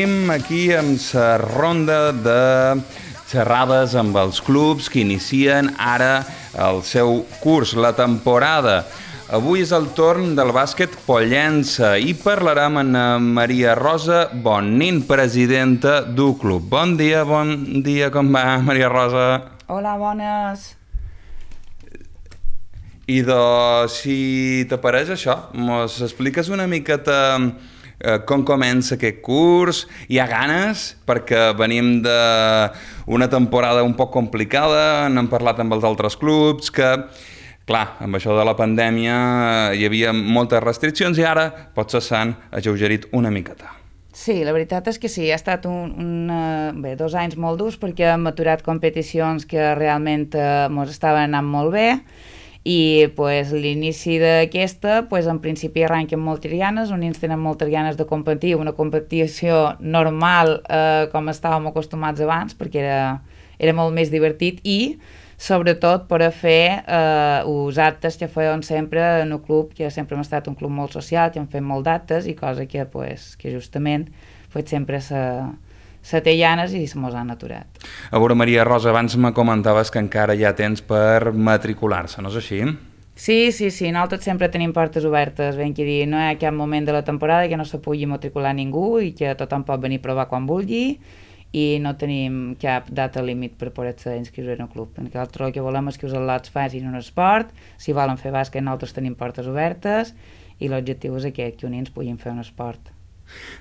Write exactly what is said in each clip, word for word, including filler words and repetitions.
Aquí amb la ronda de xerrades amb els clubs que inicien ara el seu curs, la temporada. Avui és el torn del bàsquet Pollença i parlarem amb Maria Rosa Bonnin, presidenta del club. Bon dia, bon dia, com va, Maria Rosa? Hola, bones. I doncs, si t'apareix això, mos expliques una miqueta com comença aquest curs? Hi ha ganes? Perquè venim d'una temporada un poc complicada, n'hem parlat amb els altres clubs, que, clar, amb això de la pandèmia hi havia moltes restriccions i ara potser s'han alleugerit una miqueta. Sí, la veritat és que sí, ha estat un, un, bé, dos anys molt durs perquè hem aturat competicions que realment eh, mos estaven anant molt bé. I pues, l'inici d'aquesta, pues, en principi arrenquen moltes ganes, uns tenen moltes ganes de competir, una competició normal eh, com estàvem acostumats abans, perquè era, era molt més divertit i sobretot per a fer eh, els actes que feien sempre en el club, que sempre hem estat un club molt social, que hem fet molt d'actes i cosa que, pues, que justament pues, sempre s'ha... se té llanes i se mos han aturat. A veure, Maria Rosa, abans me comentaves que encara hi ha temps per matricular-se, no és així? Sí, sí, sí, nosaltres sempre tenim portes obertes, ben que dir, no hi ha cap moment de la temporada que no se pugui matricular ningú i que tothom pot venir a provar quan vulgui i no tenim cap data límit per poder-se inscriure en el club. Nosaltres el que volem és que els al·lots facin un esport, si volen fer bàsquet nosaltres tenim portes obertes i l'objectiu és aquest, que uns nens puguin fer un esport.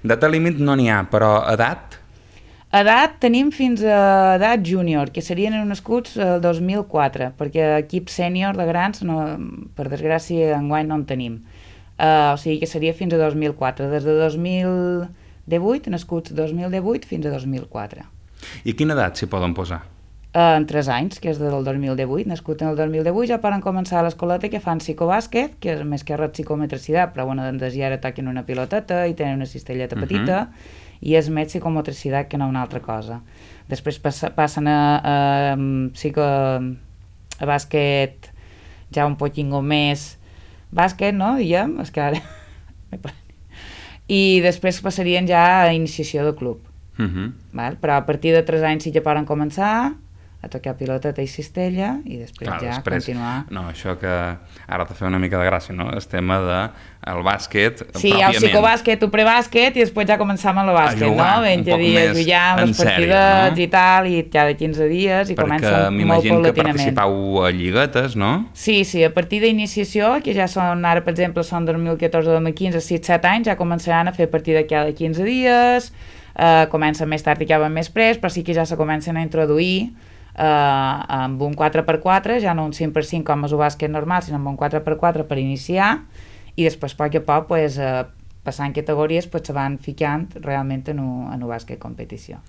Data límit no n'hi ha, però edat? Edat tenim fins a edat júnior, que serien nascuts el dos mil quatre, perquè equip sènior de grans, no, per desgràcia, enguany no en tenim. Uh, o sigui que seria fins a dos mil quatre, des de dos mil divuit, nascuts dos mil divuit fins a dos mil quatre. I quina edat s'hi poden posar? Uh, en tres anys, que és del dos mil divuit, nascut en el dos mil divuit, ja poden començar a l'escoleta que fan psicobàsquet, que és més que res psicometricitat, però bueno, doncs ja ara toquen una piloteta i tenen una cistelleta petita, uh-huh. i és més psicomotricitat que no una altra cosa. Després passa, passen a, a, psico, a bàsquet ja un poquingo més bàsquet, no? Diguem, és que ara... I després passarien ja a iniciació de club. Uh-huh. Val? Però a partir de tres anys sí que poden començar a tocar piloteta i cistella i després Clar, ja després, continuar. No, això que ara t'ha fet una mica de gràcia, no? El tema del bàsquet sí, pròpiament. Sí, el psicobàsquet, el prebàsquet i després ja començam amb el bàsquet, a jugar, no? Ben un poc dies, més ja, en les sèrio, partides no? i tal, i cada quinze dies i Perquè comença molt m'imagino que paulatinament. participau a lliguetes, no? Sí, sí, a partir d'iniciació, que ja són, ara per exemple, són dos mil catorze, dos mil quinze, sis set anys, ja començaran a fer partida cada quinze dies, eh, comencen més tard i acaben més pres, però sí que ja se comencen a introduir Uh, amb un quatre per quatre, ja no un cinc per cinc com és el bàsquet normal, sinó amb un quatre per quatre per iniciar i després a poc a poc pues, uh, passant categories pues, se van ficant realment en el bàsquet competició.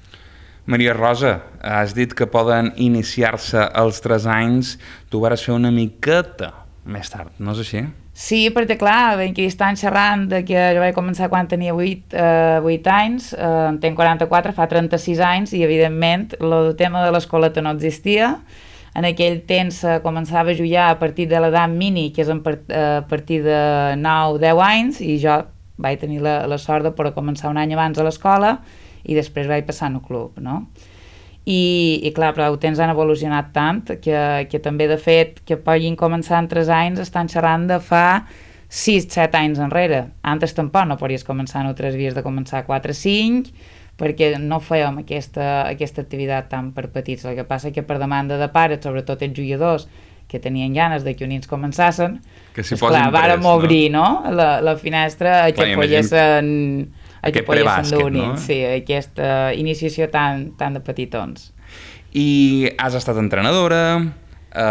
Maria Rosa, has dit que poden iniciar-se als tres anys, tu vas fer una miqueta més tard, no és així? Sí, perquè clar, ben que estan xerrant de que jo vaig començar quan tenia vuit, eh, vuit anys, eh, en tenc quaranta-quatre, fa trenta-sis anys, i evidentment el tema de l'escoleta no existia. En aquell temps se començava a jugar a partir de l'edat mini, que és a partir de nou deu anys, i jo vaig tenir la, la sort de poder començar un any abans a l'escola i després vaig passar al club, no? I, i clar, però els temps han evolucionat tant que, que també de fet que puguin començar en tres anys estan xerrant de fa sis set anys enrere. Antes tampoc no podies començar en tres dies de començar quatre cinc perquè no fèiem aquesta, aquesta activitat tan per petits. El que passa que per demanda de pares, sobretot els jugadors que tenien ganes de que uns nens començassin, que si doncs clar, vàrem obrir, no? La, la finestra a que poguessin... aquest prebàsquet, no? Sí, aquesta iniciació tan, tan de petitons. I has estat entrenadora, eh,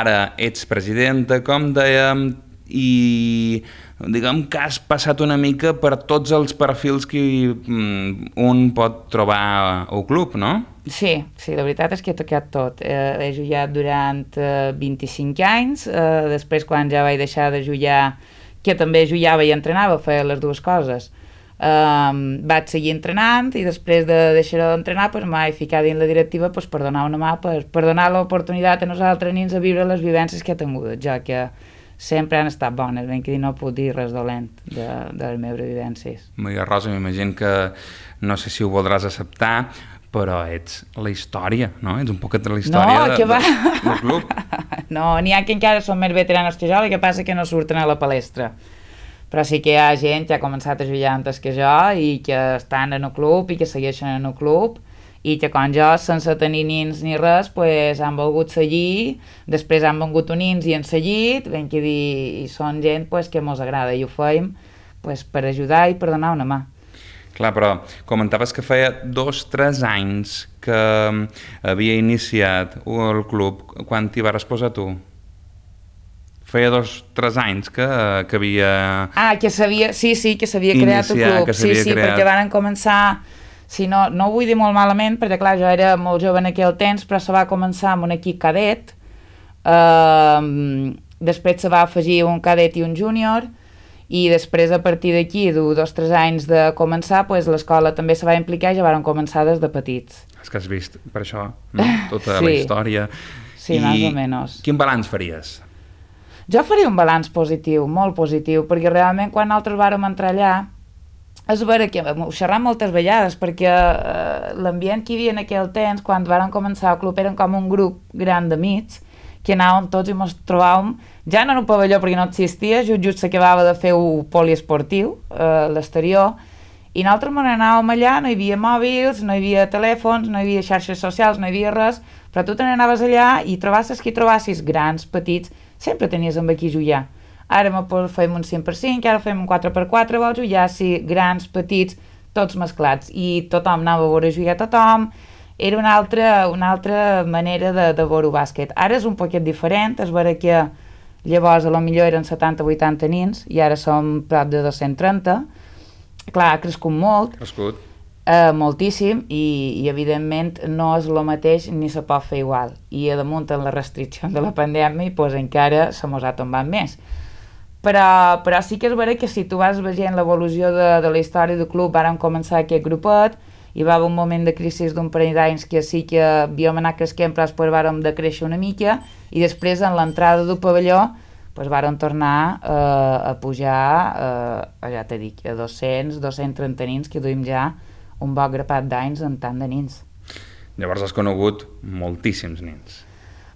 ara ets presidenta, com dèiem, i diguem que has passat una mica per tots els perfils que mm, un pot trobar al club, no? Sí, sí, la veritat és que he tocat tot. Eh, he jugat durant eh, vint-i-cinc anys, eh, després quan ja vaig deixar de jugar, que també jugava i entrenava, feia les dues coses. Um, vaig seguir entrenant i després de deixar d'entrenar pues, m'he ficat dins la directiva pues, per donar una mà, per, per donar l'oportunitat a nosaltres nens a viure les vivències que he tingut, ja que sempre han estat bones, ben que dir, no puc dir res dolent de, de les meves vivències. Maria Rosa, m'imagino que no sé si ho voldràs acceptar, però ets la història, no? Ets un poquet de la història no, de, que va. de, del club. No, n'hi ha que encara són més veteranos que jo, el que passa que no surten a la palestra. Però sí que hi ha gent que ha començat a jugar antes que jo i que estan en el club i que segueixen en el club i que com jo, sense tenir nins ni res, pues, han volgut seguir, després han vengut uns nins i han seguit, ben que dir, i són gent pues, que mos agrada i ho feim pues, per ajudar i per donar una mà. Clar, però comentaves que feia dos o tres anys que havia iniciat el club. Quan t'hi vas posar tu? Feia dos o tres anys que, que havia... Ah, que s'havia... Sí, sí, que s'havia creat el club. Sí, sí, creat... perquè van començar... Sí, no, no ho vull dir molt malament, perquè clar, jo era molt jove en aquell temps, però se va començar amb un equip cadet, uh, després se va afegir un cadet i un júnior, i després a partir d'aquí, dos o tres anys de començar, pues, l'escola també se va implicar i ja van començar des de petits. És que has vist, per això, no? Tota sí. La història. Sí, I més o menys. Quin balanç faries? Jo faria un balanç positiu, molt positiu, perquè realment quan nosaltres vàrem entrar allà, és vera que ho xerram moltes vegades, perquè eh, l'ambient que hi havia en aquell temps, quan vàrem començar el club, eren com un grup gran d'amics, que anàvem tots i ens trobàvem, ja no en un pavelló perquè no existia, just, just s'acabava de fer un poliesportiu, eh, l'exterior, i nosaltres me n'anàvem allà, no hi havia mòbils, no hi havia telèfons, no hi havia xarxes socials, no hi havia res, però tu te n'anaves allà i trobasses qui trobassis, grans, petits, sempre tenies amb aquí jugar. Ara fem un cinc per cinc, ara fem un quatre per quatre, vols jugar, sí, grans, petits, tots mesclats, i tothom anava a veure jugar a tothom, era una altra, una altra manera de, de veure bàsquet. Ara és un poquet diferent, és vera que llavors a lo millor eren setanta o vuitanta nins, i ara som prop de dos-cents trenta, clar, ha crescut molt, crescut. Eh, moltíssim, i, i evidentment no és el mateix ni se pot fer igual, i a damunt en la restricció de la pandèmia pues, encara se mos ha tombat més. Però, però sí que és vera que si tu vas veient l'evolució de, de la història del club, vàrem començar aquest grupet, hi va haver un moment de crisi d'un parell d'anys que sí que havíem anat cresquent, però després vàrem de créixer una mica, i després en l'entrada del pavelló pues, vàrem tornar eh, a pujar, eh, ja t'he dit, a dos-cents, dos-cents trenta nins, que duim ja un bon grapat d'anys en tant de nins. Llavors has conegut moltíssims nins.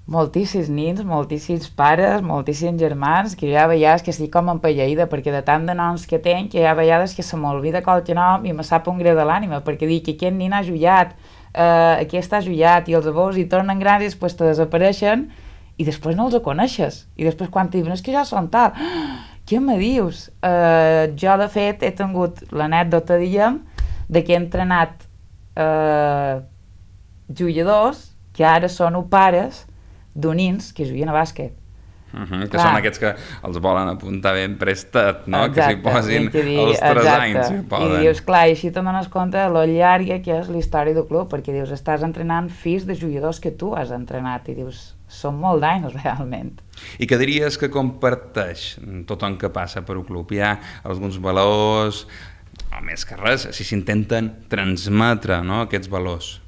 Moltíssims nins, moltíssims pares, moltíssims germans, que hi ha vegades que estic com empelleïda, perquè de tant de noms que tenc, que hi ha vegades que se m'olvida qualque nom i me sap un greu de l'ànima, perquè dic que aquest nin ha jugat, eh, aquest ha jugat, i els veus i tornen grans i després te desapareixen, i després no els coneixes. I després quan t'hi diuen, és que ja són tal, ah, què me dius? Eh, jo, de fet, he tingut l'anècdota, diguem, de que he entrenat eh, jugadors que ara són pares d'unins que juguen a bàsquet. Uh -huh, que clar. Són aquests que els volen apuntar ben prestat, no? Exacte, que s'hi posin dir, els tres exacte. anys. Si poden. I dius, clar, i així te'n dones compte de lo llarga que és la història del club, perquè dius, estàs entrenant fills de jugadors que tu has entrenat, i dius, són molt d'anys realment. I què diries que comparteix tothom que passa per un club? Hi ha alguns valors, o més que res, si s'intenten transmetre, no?, aquests valors.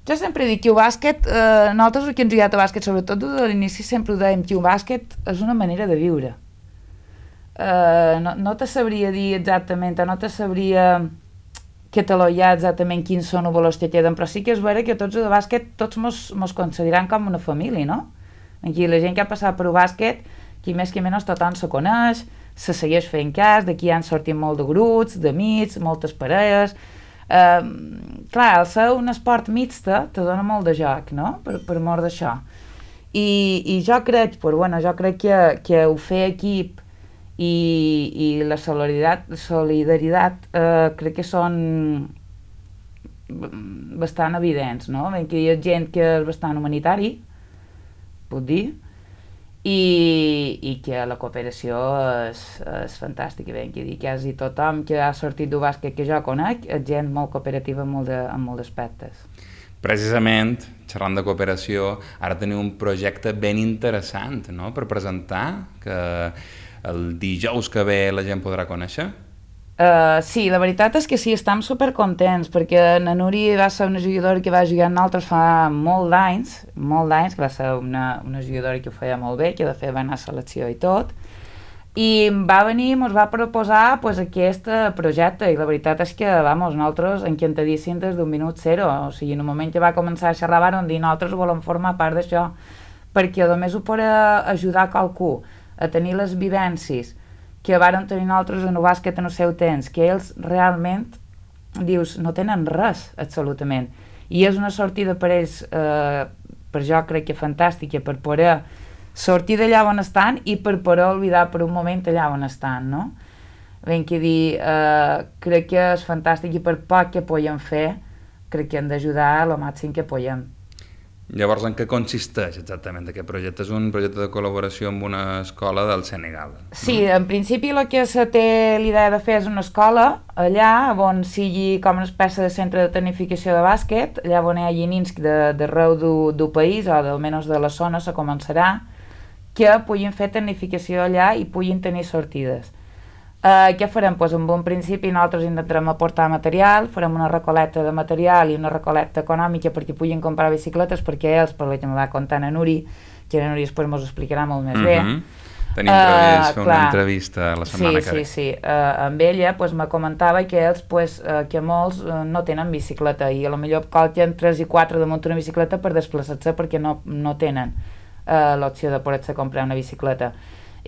Jo sempre dic que el bàsquet, eh, nosaltres que hem jugat a bàsquet, sobretot de l'inici sempre ho dèiem, que el bàsquet és una manera de viure. Eh, no, no te sabria dir exactament, no te sabria catalogjar exactament quins són els valors que queden, però sí que és vera que tots de bàsquet, tots mos, mos consideren com una família, no? Aquí la gent que ha passat per el bàsquet, qui més que menys tothom se coneix, se segueix fent cas, d'aquí han sortit molt de grups, d'amics, moltes parelles. Uh, clar, el ser un esport mixta te dona molt de joc, no?, per, per mort d'això. I, i jo crec, però, bueno, jo crec que, que ho fer equip i, i la solidaritat, solidaritat uh, crec que són bastant evidents, no? Ben que hi ha gent que és bastant humanitari, puc dir, i, i que la cooperació és, és fantàstica, ben que dir, quasi tothom que ha sortit del bàsquet que jo conec és gent molt cooperativa en, molt de, en molts aspectes. Precisament, xerrant de cooperació, ara teniu un projecte ben interessant, no?, per presentar, que el dijous que ve la gent podrà conèixer. Uh, sí, la veritat és que sí, estem supercontents, perquè la Núria va ser una jugadora que va jugar amb nosaltres fa molt d'anys, molt d'anys, que va ser una, una jugadora que ho feia molt bé, que de fet va anar a selecció i tot, i va venir i ens va proposar pues, aquest projecte, i la veritat és que, vamos, nosaltres encantadíssims des d'un minut zero, o sigui, en un moment que va començar a xerrar vam dir, nosaltres volem formar part d'això, perquè només ho pot ajudar qualcú a tenir les vivències que varen tenir nosaltres en el bàsquet en el seu temps, que ells realment, dius, no tenen res, absolutament. I és una sortida per ells, eh, per jo crec que fantàstica, per poder sortir d'allà on estan i per poder oblidar per un moment allà on estan, no? Ben que dir, eh, crec que és fantàstic i per poc que podem fer, crec que hem d'ajudar el màxim que podem. Llavors, en què consisteix exactament aquest projecte? És un projecte de col·laboració amb una escola del Senegal. No? Sí, en principi el que se té l'idea de fer és una escola allà on sigui com una espècie de centre de tecnificació de bàsquet, allà on hi hagi nins d'arreu del país o almenys de la zona se començarà, que puguin fer tecnificació allà i puguin tenir sortides. Uh, què farem? Pues en un principi nosaltres intentarem aportar material, farem una recolecta de material i una recolecta econòmica perquè puguin comprar bicicletes, perquè ells, per la que me va contar la Nuri, que la Nuri després m'ho explicarà molt més bé. Mm-hmm. Tenim previst fer uh, una entrevista la setmana sí, que ve. Sí, sí, uh, amb ella pues, me comentava que ells, pues, uh, que molts uh, no tenen bicicleta i a lo millor calquen tres i quatre damunt una bicicleta per desplaçar-se perquè no, no tenen uh, l'opció de poder-se comprar una bicicleta.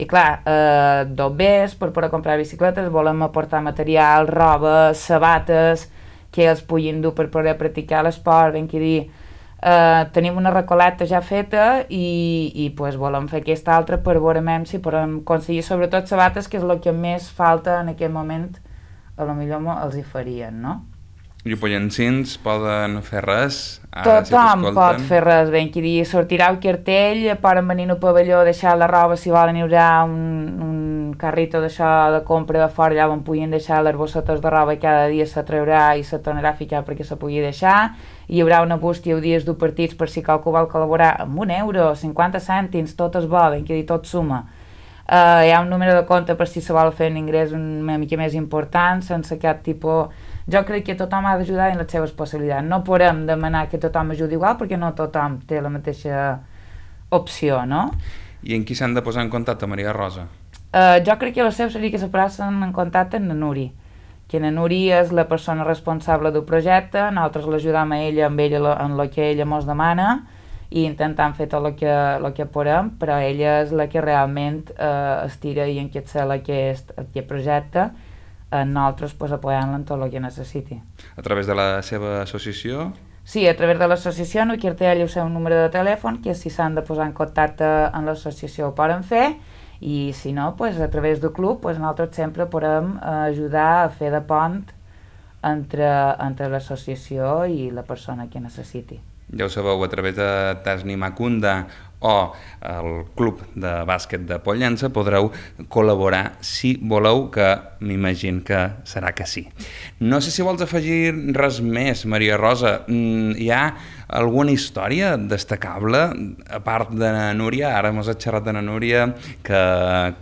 I clar, eh, dobbers per poder comprar bicicletes, volem aportar material, roba, sabates, que els puguin dur per poder practicar l'esport, ben que dir, eh, tenim una recolecta ja feta i, i pues, volem fer aquesta altra per veure si podem aconseguir sobretot sabates, que és el que més falta en aquest moment, a lo millor els hi farien, no? I pollancins poden fer res? Ara, tothom si pot fer res, ben que dir, sortirà el cartell, poden venir al pavelló, deixar la roba, si volen hi haurà un, un carrito d'això de compra de fora, allà on puguin deixar les bossetes de roba i cada dia se traurà i se tornarà a ficar perquè se pugui deixar. Hi haurà una bústia o dies d'un partits per si qualcú vol col·laborar amb un euro, cinquanta cèntims, tot és bo, ben que dir, tot suma. Uh, hi ha un número de compte per si se vol fer un ingrés una mica més important, sense cap tipus... Jo crec que tothom ha d'ajudar en les seves possibilitats. No podem demanar que tothom ajudi igual perquè no tothom té la mateixa opció, no? I en qui s'han de posar en contacte, Maria Rosa? Uh, jo crec que la seva seria que se posen en contacte amb la Nuri, que la Nuri és la persona responsable del projecte, nosaltres l'ajudam a ella amb ella en el que ella ens demana i intentant fer tot el que, el que podem, però ella és la que realment uh, estira i enquetxa aquest, aquest projecte, en nosaltres pues, apoyant-la en tot el que necessiti. A través de la seva associació? Sí, a través de l'associació no quiere el seu número de telèfon, que si s'han de posar en contacte amb l'associació ho poden fer, i si no, pues, a través del club pues, nosaltres sempre podem ajudar a fer de pont entre, entre l'associació i la persona que necessiti. Ja ho sabeu, a través de Tasni Macunda o el club de bàsquet de Pollença podreu col·laborar si voleu, que m'imagino que serà que sí. No sé si vols afegir res més, Maria Rosa. Hi ha alguna història destacable, a part de na Núria? Ara m'has xerrat de na Núria, que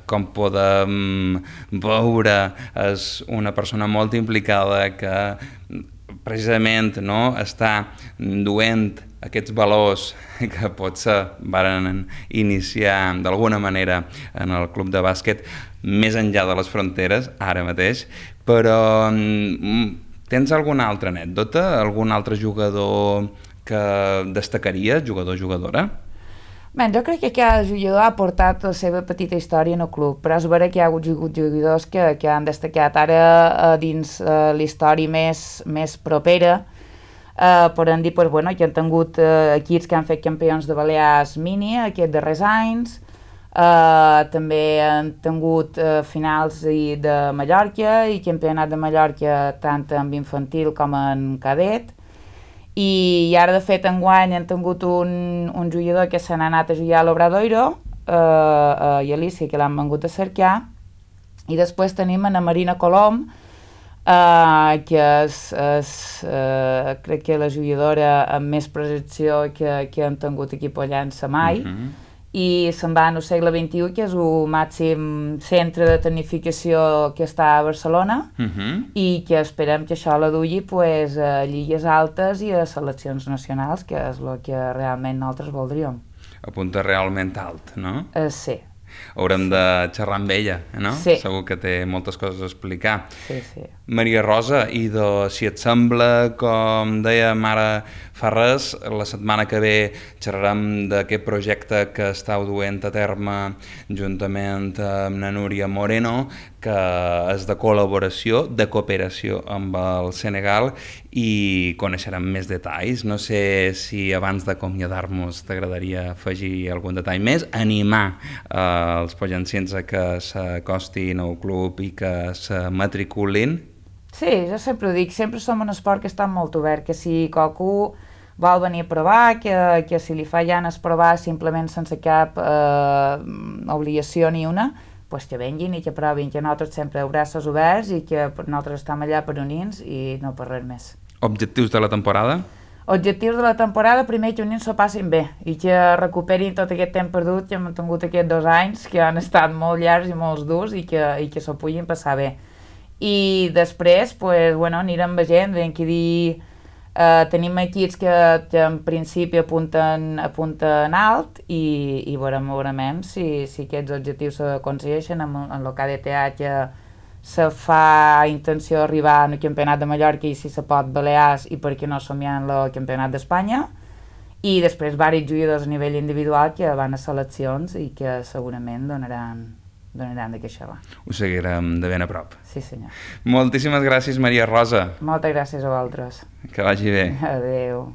com podem veure és una persona molt implicada, que precisament no, està duent aquests valors que potser varen iniciar d'alguna manera en el club de bàsquet més enllà de les fronteres, ara mateix, però tens alguna altra anècdota, algun altre jugador que destacaries, jugador o jugadora? Bé, jo crec que cada jugador ha portat la seva petita història en el club, però és vera que hi ha hagut jugadors que, que han destacat ara uh, dins uh, la història més, més propera. Uh, podem dir pues, bueno, que han tingut uh, equips que han fet campions de Balears mini aquests darrers anys, uh, també han tingut uh, finals de Mallorca i campionat de Mallorca tant en infantil com en cadet. I ara, de fet, enguany han tingut un, un jugador que se n'ha anat a jugar a l'Obradoiro, uh, uh, i Alicia, que l'han vengut a cercar, i després tenim a Marina Colom, uh, que és, és uh, crec que la jugadora amb més projecció que, que han tingut aquí a Pollença mai, uh-huh. i se'n va al segle vint-i-u, que és el màxim centre de tecnificació que està a Barcelona, Uh-huh. i que esperem que això la dugui pues, a lligues altes i a seleccions nacionals, que és el que realment nosaltres voldríem. Apunta realment alt, no? Eh, sí. Haurem de xerrar amb ella, no? Sí. Segur que té moltes coses a explicar. Sí, sí. Maria Rosa, i de, si et sembla, com dèiem ara fa res, la setmana que ve xerrarem d'aquest projecte que estàu duent a terme juntament amb la Núria Moreno, que és de col·laboració, de cooperació amb el Senegal, i coneixerem més detalls. No sé si abans d'acomiadar-nos t'agradaria afegir algun detall més, animar eh, els pollanciens a que s'acostin al club i que se matriculin. Sí, jo sempre ho dic, sempre som un esport que està molt obert, que si qualcú vol venir a provar, que, que si li fa ganes provar simplement sense cap eh, obligació ni una, pues que venguin i que provin, que nosaltres sempre braços oberts i que nosaltres estem allà per unir-nos i no per res més. Objectius de la temporada? Objectius de la temporada, primer que unir s'ho passin bé i que recuperin tot aquest temps perdut que hem tingut aquests dos anys, que han estat molt llargs i molt durs i que, i que s'ho puguin passar bé. I després, pues, bueno, anirem veient, ben que dir, eh, tenim equips que, que en principi apunten, apunten alt i, i veurem, veurem si, si aquests objectius s'aconsegueixen en, en el K D T A, que se fa intenció d'arribar al Campionat de Mallorca i si se pot Balears, i per què no somiar en el Campionat d'Espanya, i després diversos jugadors a nivell individual que van a seleccions i que segurament donaran, donaran de queixar. Ho seguirem de ben a prop. Sí, senyor. Moltíssimes gràcies, Maria Rosa. Moltes gràcies a vosaltres. Que vagi bé. Adéu.